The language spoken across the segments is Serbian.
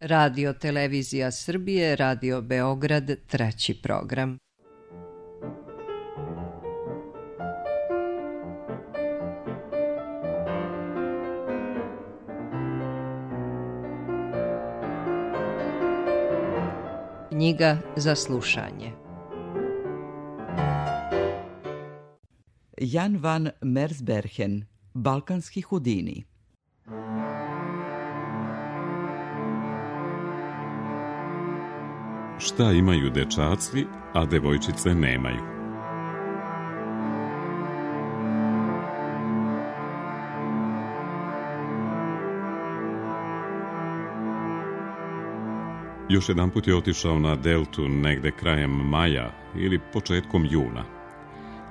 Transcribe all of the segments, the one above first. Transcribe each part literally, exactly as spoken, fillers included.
Radio Televizija Srbije, Radio Beograd, treći program. Knjiga za slušanje. Jan van Mersbergen, Balkanski Houdini. Šta imaju dečaci, a devojčice nemaju? Još jedan put je otišao na deltu negde krajem maja ili početkom juna.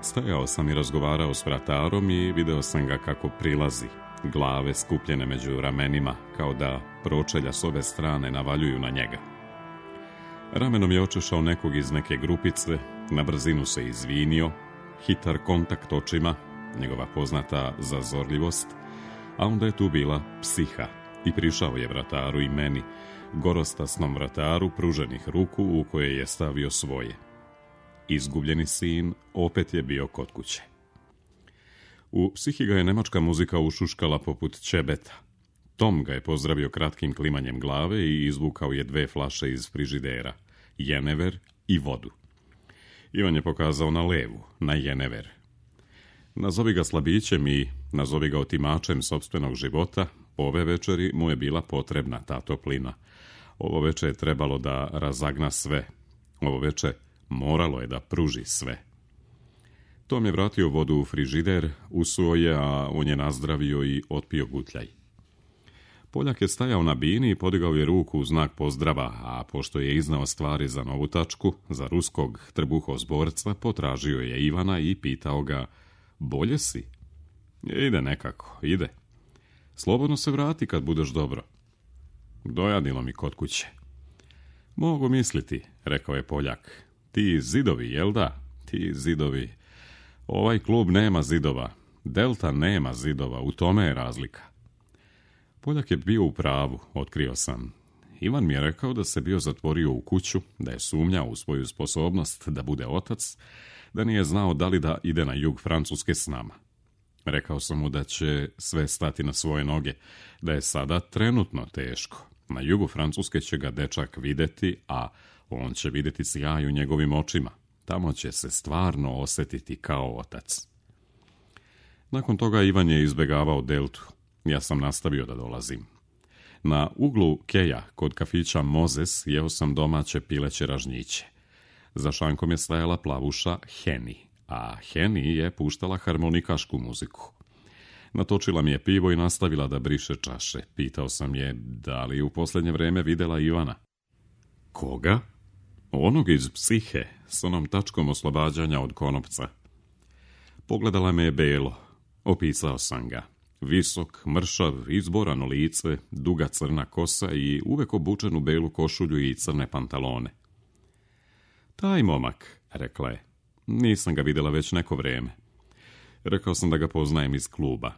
Stajao sam i razgovarao s vratarom i video sam ga kako prilazi, glave skupljene među ramenima, kao da pročelja s ove strane navaljuju na njega. Ramenom je očešao nekog iz neke grupice, na brzinu se izvinio, hitar kontakt očima, njegova poznata zazorljivost, a onda je tu bila psiha i prišao je vrataru i meni, gorostasnom vrataru pruženih ruku u koje je stavio svoje. Izgubljeni sin opet je bio kod kuće. U psihi ga je nemačka muzika ušuškala poput ćebeta. Tom ga je pozdravio kratkim klimanjem glave i izvukao je dve flaše iz frižidera, jenever i vodu. Ivan je pokazao na levu, na jenever. Nazovi ga slabićem i nazovi ga otimačem sopstvenog života, ove večeri mu je bila potrebna ta toplina. Ovo veče je trebalo da razagna sve. Ovo veče moralo je da pruži sve. Tom je vratio vodu u frižider, usuo je, a on je nazdravio i otpio gutljaj. Poljak je stajao na bini i podigao je ruku u znak pozdrava, a pošto je iznao stvari za novu tačku, za ruskog trbuhozborca, potražio je Ivana i pitao ga, bolje si? Ide nekako, ide. Slobodno se vrati kad budeš dobro. Dojadilo mi kod kuće. Mogu misliti, rekao je Poljak. Ti zidovi, jel da? Ti zidovi. Ovaj klub nema zidova. Delta nema zidova, u tome je razlika. Poljak je bio u pravu, otkrio sam. Ivan mi je rekao da se bio zatvorio u kuću, da je sumnjao u svoju sposobnost da bude otac, da nije znao da li da ide na jug Francuske s nama. Rekao sam mu da će sve stati na svoje noge, da je sada trenutno teško. Na jugu Francuske će ga dečak videti, a on će vidjeti sjaj u njegovim očima. Tamo će se stvarno osjetiti kao otac. Nakon toga Ivan je izbjegavao deltu. Ja sam nastavio da dolazim. Na uglu Keja, kod kafića Mozes, jeo sam domaće pileće ražnjiće. Za šankom je stajala plavuša Heni, a Heni je puštala harmonikašku muziku. Natočila mi je pivo i nastavila da briše čaše. Pitao sam je da li u posljednje vreme videla Ivana. Koga? Onog iz psihe, s onom tačkom oslobađanja od konopca. Pogledala me je belo. Opisao sam ga. Visok, mršav, izborano lice, duga crna kosa i uvek obučen u belu košulju i crne pantalone. Taj momak, rekla je. Nisam ga vidjela već neko vreme. Rekao sam da ga poznajem iz kluba.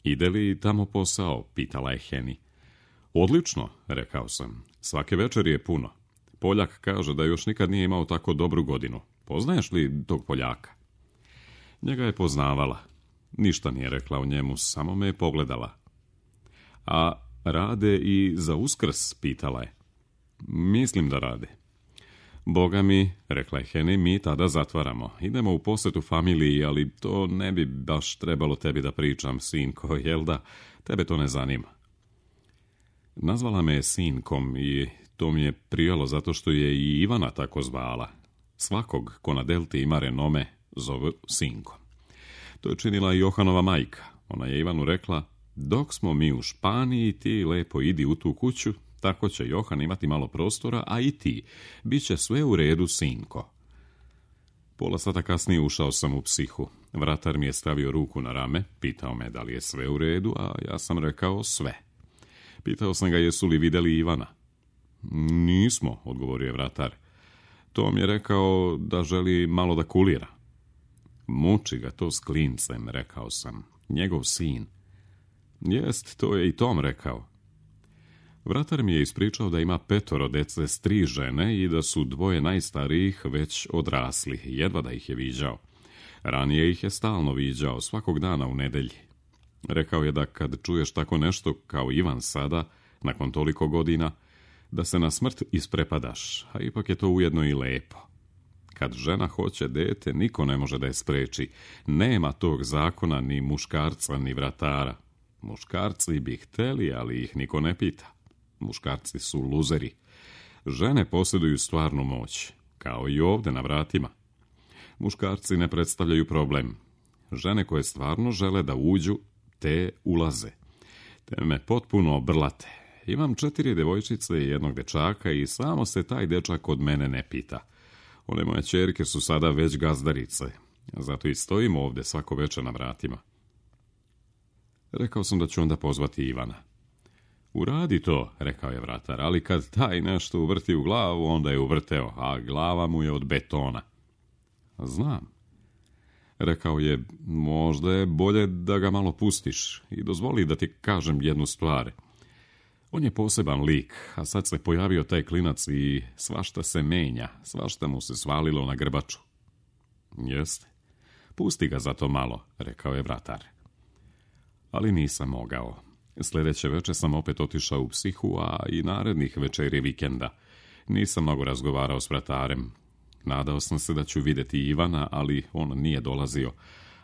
Ide li tamo posao, pitala je Heni. Odlično, rekao sam. Svake večeri je puno. Poljak kaže da još nikad nije imao tako dobru godinu. Poznaješ li tog Poljaka? Njega je poznavala. Ništa nije rekla o njemu, samo me je pogledala. A rade i za Uskrs, pitala je. Mislim da rade. Boga mi, rekla je Heni, mi tada zatvaramo. Idemo u posjetu familiji, ali to ne bi baš trebalo tebi da pričam, sinko, jel da? Tebe to ne zanima. Nazvala me je sinkom i to mi je prijalo zato što je i Ivana tako zvala. Svakog ko na delti ima renome zove sinkom. To je činila i Johanova majka. Ona je Ivanu rekla, dok smo mi u Španiji, ti lepo idi u tu kuću, tako će Johan imati malo prostora, a i ti. Biće sve u redu, sinko. Pola sata kasnije ušao sam u psihu. Vratar mi je stavio ruku na rame, pitao me da li je sve u redu, a ja sam rekao sve. Pitao sam ga jesu li vidjeli Ivana. Nismo, odgovorio je vratar. Tom je rekao da želi malo da kulira. Muči ga to s klincem, rekao sam. Njegov sin. Jest, to je i Tom rekao. Vratar mi je ispričao da ima petoro dece s tri žene i da su dvoje najstarijih već odrasli, jedva da ih je viđao. Ranije ih je stalno viđao, svakog dana u nedelji. Rekao je da kad čuješ tako nešto kao Ivan sada, nakon toliko godina, da se na smrt isprepadaš, a ipak je to ujedno i lepo. Kad žena hoće dete, niko ne može da je spreči. Nema tog zakona ni muškarca, ni vratara. Muškarci bi hteli, ali ih niko ne pita. Muškarci su luzeri. Žene posjeduju stvarnu moć, kao i ovdje na vratima. Muškarci ne predstavljaju problem. Žene koje stvarno žele da uđu, te ulaze. Te me potpuno obrlate. Imam četiri devojčice i jednog dečaka i samo se taj dečak od mene ne pita. One moje ćerke su sada već gazdarice, zato i stojim ovdje svako večer na vratima. Rekao sam da ću onda pozvati Ivana. Uradi to, rekao je vratar, ali kad taj nešto uvrti u glavu, onda je uvrteo, a glava mu je od betona. Znam. Rekao je, možda je bolje da ga malo pustiš i dozvoli da ti kažem jednu stvar. On je poseban lik, a sad se pojavio taj klinac i svašta se menja, svašta mu se svalilo na grbaču. Jeste. Pusti ga za to malo, rekao je vratar. Ali nisam mogao. Sljedeće večer sam opet otišao u psihu, a i narednih večeri vikenda. Nisam mnogo razgovarao s vratarem. Nadao sam se da ću vidjeti Ivana, ali on nije dolazio,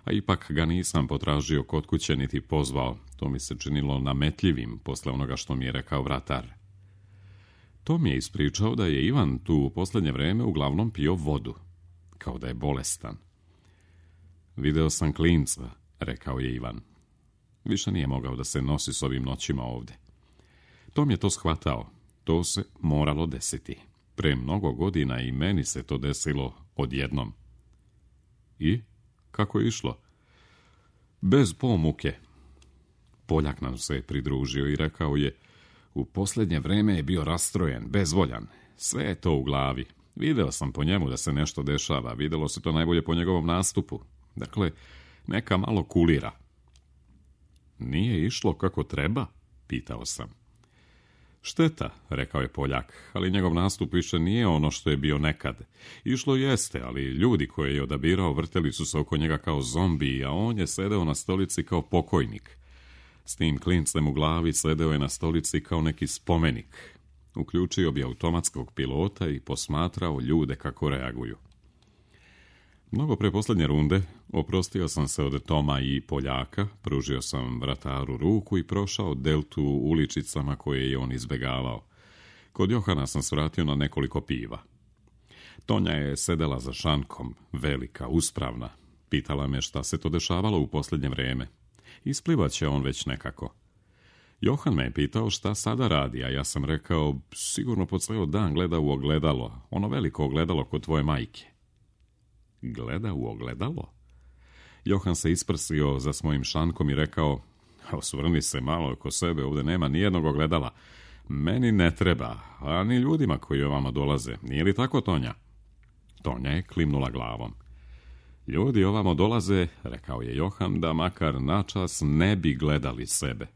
a ipak ga nisam potražio kod kuće niti pozvao. To mi se činilo nametljivim posle onoga što mi je rekao vratar. To mi je ispričao da je Ivan tu u posljednje vreme uglavnom pio vodu, kao da je bolestan. Video sam klinca, rekao je Ivan. Više nije mogao da se nosi s ovim noćima ovdje. Tom je to shvatao. To se moralo desiti. Pre mnogo godina i meni se to desilo odjednom. I? Kako je išlo? Bez pomuke. Poljak nam se pridružio i rekao je, u posljednje vreme je bio rastrojen, bezvoljan. Sve je to u glavi. Video sam po njemu da se nešto dešava. Videlo se to najbolje po njegovom nastupu. Dakle, neka malo kulira. Nije išlo kako treba? Pitao sam. Šteta, rekao je Poljak, ali njegov nastup više nije ono što je bio nekad. Išlo jeste, ali ljudi koje je odabirao vrteli su se oko njega kao zombi, a on je sedeo na stolici kao pokojnik. S tim klincem u glavi sedeo je na stolici kao neki spomenik. Uključio bi automatskog pilota i posmatrao ljude kako reaguju. Mnogo pre posljednje runde oprostio sam se od Toma i Poljaka, pružio sam vrataru ruku i prošao deltu uličicama koje je on izbegavao. Kod Johana sam svratio na nekoliko piva. Tonja je sedela za šankom, velika, uspravna. Pitala me šta se to dešavalo u posljednje vreme. Isplivaće on već nekako. Johan me je pitao šta sada radi, a ja sam rekao, sigurno po ceo dan gleda u ogledalo, ono veliko ogledalo kod tvoje majke. Gleda u ogledalo? Johan se isprsio za svojim šankom i rekao, osvrni se malo oko sebe, ovdje nema nijednog ogledala. Meni ne treba, a ni ljudima koji ovamo dolaze. Nije li tako, Tonja? Tonja je klimnula glavom. Ljudi ovamo dolaze, rekao je Johan, da makar načas ne bi gledali sebe.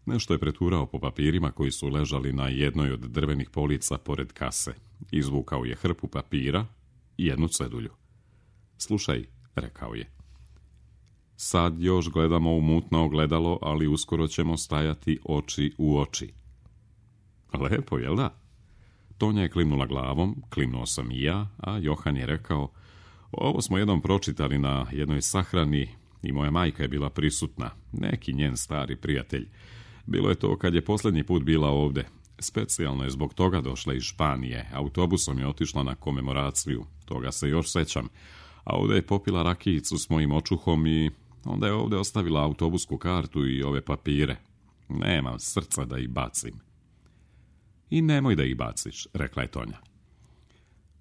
Nešto je preturao po papirima koji su ležali na jednoj od drvenih polica pored kase. Izvukao je hrpu papira i jednu cedulju. Slušaj, rekao je. Sad još gledamo u mutno ogledalo, ali uskoro ćemo stajati oči u oči. Lepo, jel da? Tonja je klimnula glavom, klimnuo sam i ja, a Johan je rekao, ovo smo jednom pročitali na jednoj sahrani i moja majka je bila prisutna, neki njen stari prijatelj. Bilo je to kad je posljednji put bila ovdje. Specijalno je zbog toga došla iz Španije. Autobusom je otišla na komemoraciju. Toga se još sećam. A ovdje je popila rakijicu s mojim očuhom i onda je ovdje ostavila autobusku kartu i ove papire. Nemam srca da ih bacim. I nemoj da ih baciš, rekla je Tonja.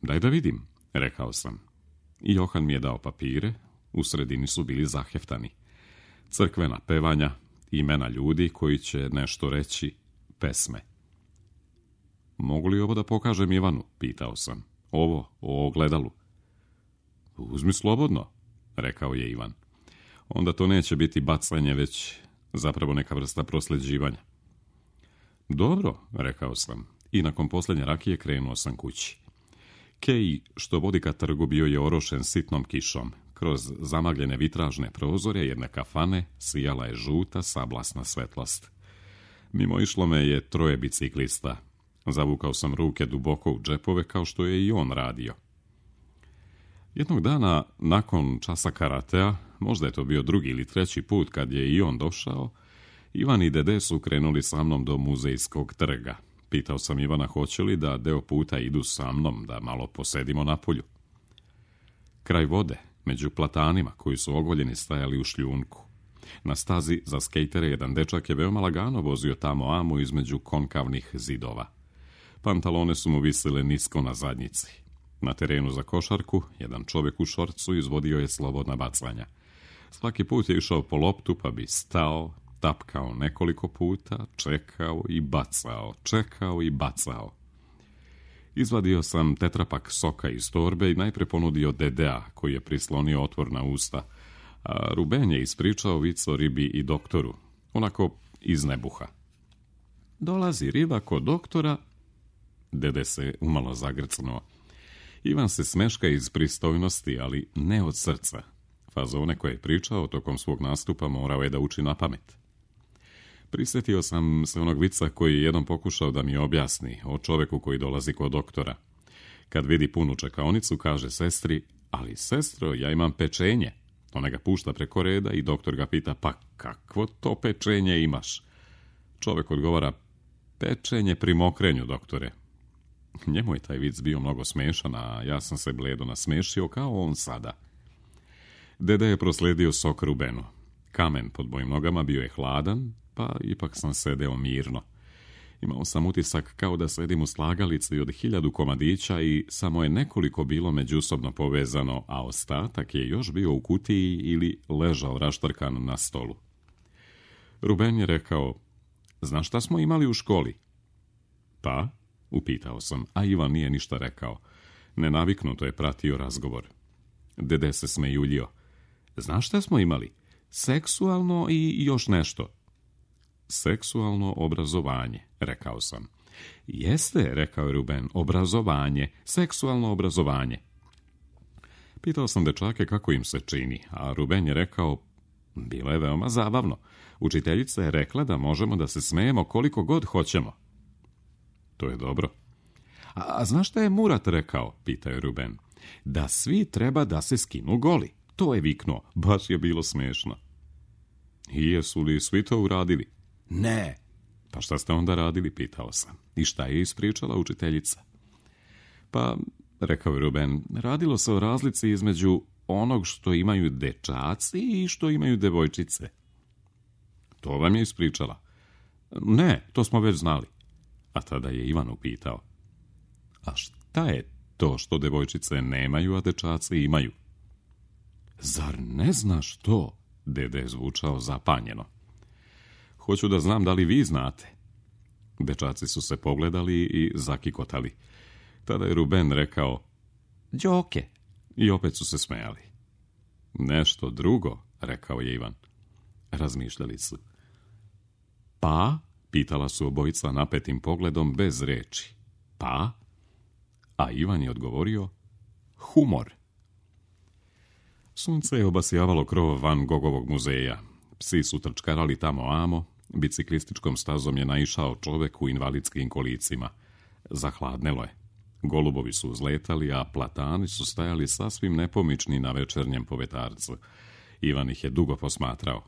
Daj da vidim, rekao sam. I Johan mi je dao papire. U sredini su bili zaheftani. Crkvena pevanja, imena ljudi koji će nešto reći, pesme. Mogu li ovo da pokažem Ivanu? Pitao sam. Ovo, o ogledalu. Uzmi slobodno, rekao je Ivan. Onda to neće biti bacanje, već zapravo neka vrsta prosljeđivanja. Dobro, rekao sam, i nakon posljednje rakije krenuo sam kući. Kej, što vodi ka trgu, bio je orošen sitnom kišom. Kroz zamagljene vitražne prozore jedne kafane sijala je žuta sablasna svetlost. Mimo išlo me je troje biciklista. Zavukao sam ruke duboko u džepove kao što je i on radio. Jednog dana, nakon časa karatea, možda je to bio drugi ili treći put kad je i on došao, Ivan i Dede su krenuli sa mnom do muzejskog trga. Pitao sam Ivana hoće li da deo puta idu sa mnom, da malo posedimo na polju. Kraj vode, među platanima koji su ogoljeni stajali u šljunku. Na stazi za skejtere jedan dečak je veoma lagano vozio tamo amo između konkavnih zidova. Pantalone su mu visile nisko na zadnjici. Na terenu za košarku, jedan čovjek u šorcu izvodio je slobodna bacanja. Svaki put je išao po loptu pa bi stao, tapkao nekoliko puta, čekao i bacao, čekao i bacao. Izvadio sam tetrapak soka iz torbe i najpre ponudio Dedea, koji je prislonio otvor na usta, a Ruben je ispričao vic o ribi i doktoru, onako iz nebuha. Dolazi riba kod doktora. Dede se umalo zagrcnuo. Ivan se smeška iz pristojnosti, ali ne od srca. Fazone koje je pričao tokom svog nastupa morao je da uči na pamet. Prisjetio sam se onog vica koji je jednom pokušao da mi objasni o čoveku koji dolazi kod doktora. Kad vidi punu čekaonicu, kaže sestri, ali sestro, ja imam pečenje. Ona ga pušta preko reda i doktor ga pita, pa kakvo to pečenje imaš? Čovek odgovara, pečenje pri mokrenju, doktore. Njemu je taj vic bio mnogo smešan, a ja sam se bledo nasmešio kao on sada. Dede je prosledio sok Rubenu. Kamen pod mojim nogama bio je hladan, pa ipak sam sedeo mirno. Imao sam utisak kao da sedim u slagalici od hiljadu komadića i samo je nekoliko bilo međusobno povezano, a ostatak je još bio u kutiji ili ležao raštrkan na stolu. Ruben je rekao, znaš šta smo imali u školi? Pa, upitao sam, a Ivan nije ništa rekao. Nenaviknuto je pratio razgovor. Dede se smejuljio. Znaš šta smo imali? Seksualno i još nešto. Seksualno obrazovanje, rekao sam. Jeste, rekao je Ruben, obrazovanje, seksualno obrazovanje. Pitao sam dečake kako im se čini, a Ruben je rekao, bilo je veoma zabavno. Učiteljica je rekla da možemo da se smejemo koliko god hoćemo. To je dobro. A, a znaš šta je Murat rekao, pitao je Ruben. Da svi treba da se skinu goli. To je viknuo, baš je bilo smešno. I jesu li svi to uradili? Ne. Pa šta ste onda radili, pitao sam. I šta je ispričala učiteljica? Pa, rekao je Ruben, radilo se o razlici između onog što imaju dečaci i što imaju devojčice. To vam je ispričala? Ne, to smo već znali. A tada je Ivan upitao. A šta je to što devojčice nemaju, a dečaci imaju? Zar ne znaš to? Dede je zvučao zapanjeno. Hoću da znam da li vi znate. Dečaci su se pogledali i zakikotali. Tada je Ruben rekao, Đoke, i opet su se smejali. Nešto drugo, rekao je Ivan. Razmišljali su. Pa, pitala su obojica napetim pogledom bez reči. Pa? A Ivan je odgovorio, humor. Sunce je obasjavalo krov Van Gogovog muzeja. Psi su trčkarali tamo amo, biciklističkom stazom je naišao čovek u invalidskim kolicima. Zahladnelo je. Golubovi su uzletali, a platani su stajali sasvim nepomični na večernjem povetarcu. Ivan ih je dugo posmatrao.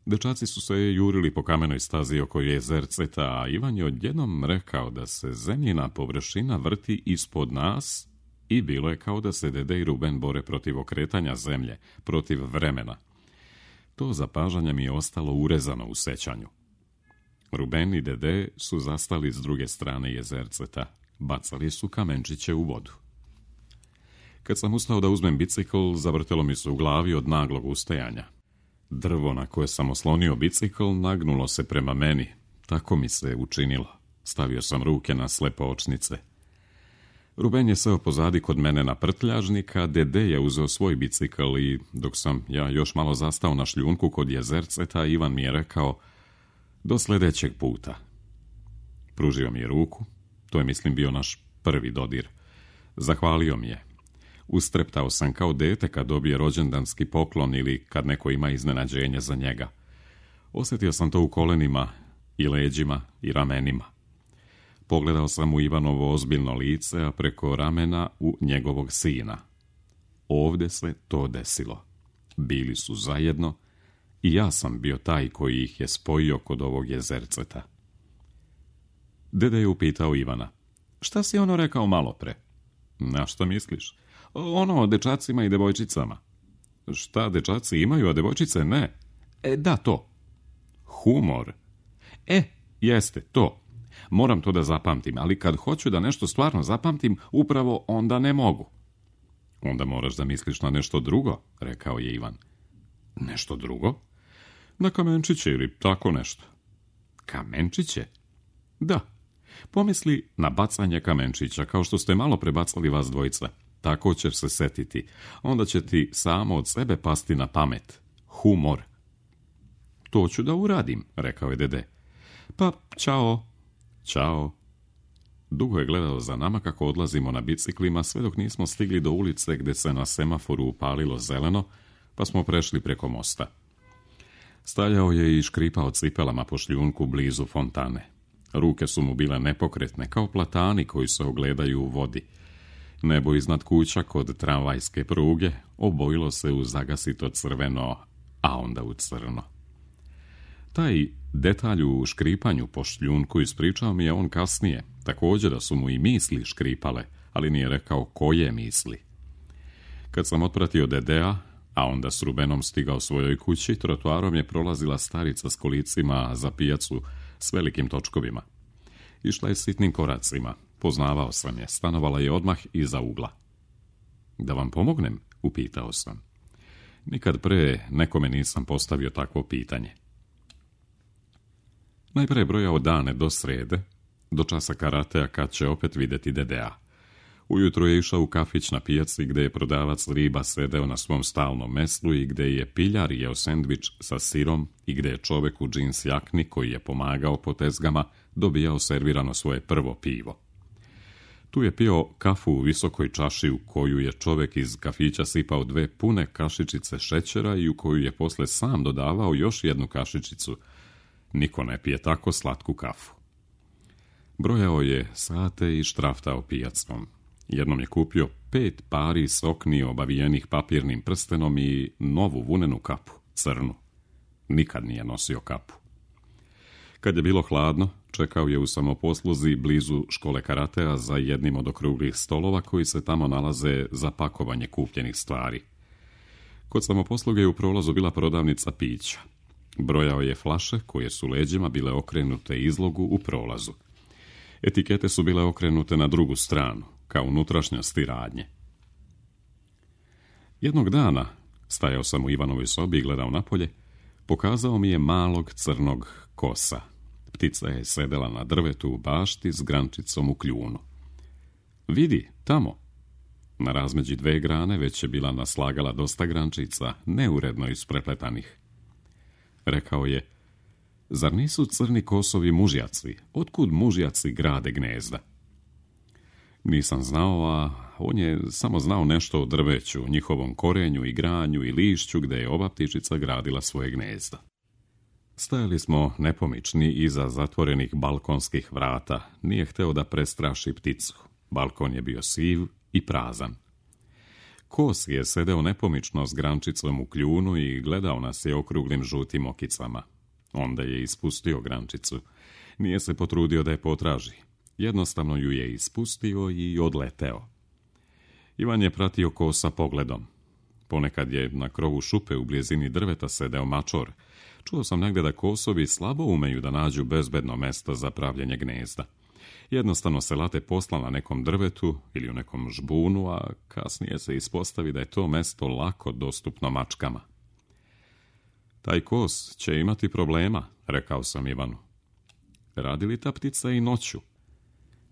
Dečaci su se jurili po kamenoj stazi oko jezerceta, a Ivan je odjednom rekao da se zemljina površina vrti ispod nas i bilo je kao da se Dede i Ruben bore protiv okretanja zemlje, protiv vremena. To zapažanje mi je ostalo urezano u sećanju. Ruben i Dede su zastali s druge strane jezerceta. Bacali su kamenčiće u vodu. Kad sam ustao da uzmem bicikl, zavrtelo mi se u glavi od naglog ustajanja. Drvo na koje sam oslonio bicikl nagnulo se prema meni. Tako mi se učinilo. Stavio sam ruke na slepe očnice. Ruben je seo pozadi kod mene na prtljažnika, Dede je uzeo svoj bicikl i dok sam ja još malo zastao na šljunku kod jezerceta, Ivan mi je rekao, Do sljedećeg puta. Pružio mi je ruku, to je mislim bio naš prvi dodir. Zahvalio mi je. Ustreptao sam kao dete kad dobije rođendanski poklon ili kad neko ima iznenađenje za njega. Osjetio sam to u kolenima i leđima i ramenima. Pogledao sam u Ivanovo ozbiljno lice, a preko ramena u njegovog sina. Ovdje se to desilo. Bili su zajedno i ja sam bio taj koji ih je spojio kod ovog jezerceta. Dede je upitao Ivana. Šta si ono rekao malo pre? Na šta misliš? Ono o dečacima i devojčicama. Šta dečaci imaju, a devojčice ne? E, da, to. Humor. E, jeste, to. Moram to da zapamtim, ali kad hoću da nešto stvarno zapamtim, upravo onda ne mogu. Onda moraš da misliš na nešto drugo, rekao je Ivan. Nešto drugo? Na kamenčiće ili tako nešto. Kamenčiće? Da. Pomisli na bacanje kamenčića, kao što ste malo prebacali vas dvojica. Tako ćeš se setiti. Onda će ti samo od sebe pasti na pamet. Humor. To ću da uradim, rekao je dede. Pa, čao. Ćao. Dugo je gledao za nama kako odlazimo na biciklima, sve dok nismo stigli do ulice gdje se na semaforu upalilo zeleno, pa smo prešli preko mosta. Stajao je i škripao cipelama po šljunku blizu fontane. Ruke su mu bile nepokretne, kao platani koji se ogledaju u vodi. Nebo iznad kuća kod tramvajske pruge obojilo se u zagasito crveno, a onda u crno. Taj detalj u škripanju po šljunku ispričao mi je on kasnije, također da su mu i misli škripale, ali nije rekao koje misli. Kad sam otpratio dedea, a onda s Rubenom stigao svojoj kući, trotoarom je prolazila starica s kolicima za pijacu s velikim točkovima. Išla je sitnim koracima, poznavao sam je, stanovala je odmah iza ugla. Da vam pomognem? Upitao sam. Nikad pre nekome nisam postavio takvo pitanje. Najpre je brojao dane do srede, do časa karatea kad će opet vidjeti dedea. Ujutro je išao u kafić na pijaci gdje je prodavac riba sedeo na svom stalnom meslu i gdje je piljar jeo sendvič sa sirom i gdje je čovek u džins jakni koji je pomagao po tezgama dobijao servirano svoje prvo pivo. Tu je pio kafu u visokoj čaši u koju je čovek iz kafića sipao dve pune kašičice šećera i u koju je posle sam dodavao još jednu kašičicu. Niko ne pije tako slatku kafu. Brojao je sate i štraftao pijacom. Jednom je kupio pet pari sokni obavijenih papirnim prstenom i novu vunenu kapu, crnu. Nikad nije nosio kapu. Kad je bilo hladno, čekao je u samoposluzi blizu škole karatea za jednim od okruglih stolova koji se tamo nalaze za pakovanje kupljenih stvari. Kod samoposluge je u prolazu bila prodavnica pića. Brojao je flaše koje su leđima bile okrenute izlogu u prolazu. Etikete su bile okrenute na drugu stranu, kao unutrašnjosti radnje. Jednog dana, stajao sam u Ivanovoj sobi i gledao napolje, pokazao mi je malog crnog kosa. Ptica je sedela na drvetu u bašti s grančicom u kljunu. Vidi, tamo. Na razmeđi dve grane već je bila naslagala dosta grančica, neuredno isprepletanih. Rekao je, zar nisu crni kosovi mužjaci? Otkud mužjaci grade gnezda? Nisam znao, a on je samo znao nešto o drveću, njihovom korenju i granju i lišću gdje je ova ptičica gradila svoje gnezda. Stajali smo nepomični iza zatvorenih balkonskih vrata. Nije hteo da prestraši pticu. Balkon je bio siv i prazan. Kos je sedeo nepomično s grančicom u kljunu i gledao nas je okruglim žutim okicama. Onda je ispustio grančicu. Nije se potrudio da je potraži. Jednostavno ju je ispustio i odleteo. Ivan je pratio kosa pogledom. Ponekad je na krovu šupe u blizini drveta sedeo mačor. Čuo sam negdje da kosovi slabo umeju da nađu bezbedno mesto za pravljenje gnezda. Jednostavno se late posla na nekom drvetu ili u nekom žbunu, a kasnije se ispostavi da je to mesto lako dostupno mačkama. Taj kos će imati problema, rekao sam Ivanu. Radi li ta ptica i noću?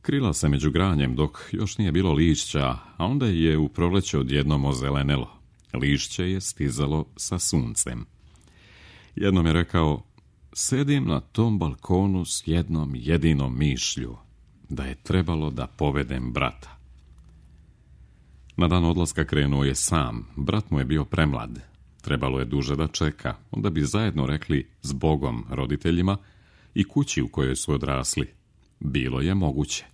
Krila se među granjem dok još nije bilo lišća, a onda je u proleće odjednom ozelenelo. Lišće je stizalo sa suncem. Jednom je rekao, Sedim na tom balkonu s jednom jedinom mišlju, da je trebalo da povedem brata. Na dan odlaska krenuo je sam, brat mu je bio premlad. Trebalo je duže da čeka, onda bi zajedno rekli zbogom roditeljima i kući u kojoj su odrasli. Bilo je moguće.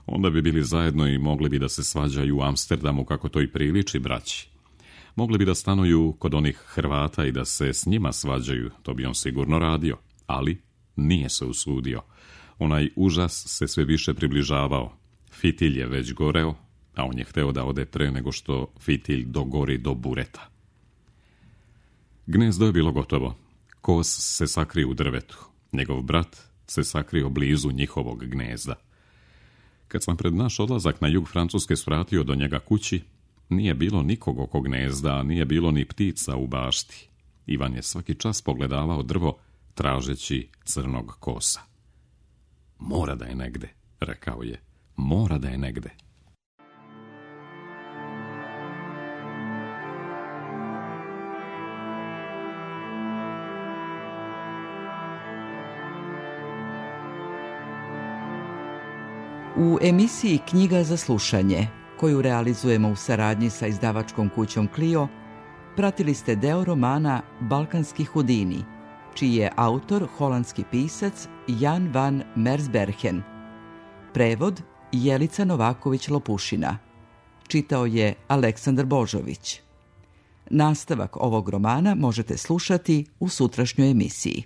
Onda bi bili zajedno i mogli bi da se svađaju u Amsterdamu kako to i priliči braći. Mogli bi da stanuju kod onih Hrvata i da se s njima svađaju, to bi on sigurno radio, ali nije se usudio. Onaj užas se sve više približavao. Fitilj je već goreo, a on je hteo da ode pre nego što fitilj dogori do bureta. Gnezdo je bilo gotovo. Kos se sakrio u drvetu. Njegov brat se sakrio blizu njihovog gnezda. Kad sam pred naš odlazak na jug Francuske svratio do njega kući, nije bilo nikog oko gnezda, nije bilo ni ptica u bašti. Ivan je svaki čas pogledavao drvo, tražeći crnog kosa. Mora da je negde, rekao je. Mora da je negde. U emisiji Knjiga za slušanje, koju realizujemo u saradnji sa izdavačkom kućom Clio, pratili ste deo romana Balkanski hudini, čiji je autor holandski pisac Jan van Mersbergen. Prevod Jelica Novaković-Lopušina. Čitao je Aleksandar Božović. Nastavak ovog romana možete slušati u sutrašnjoj emisiji.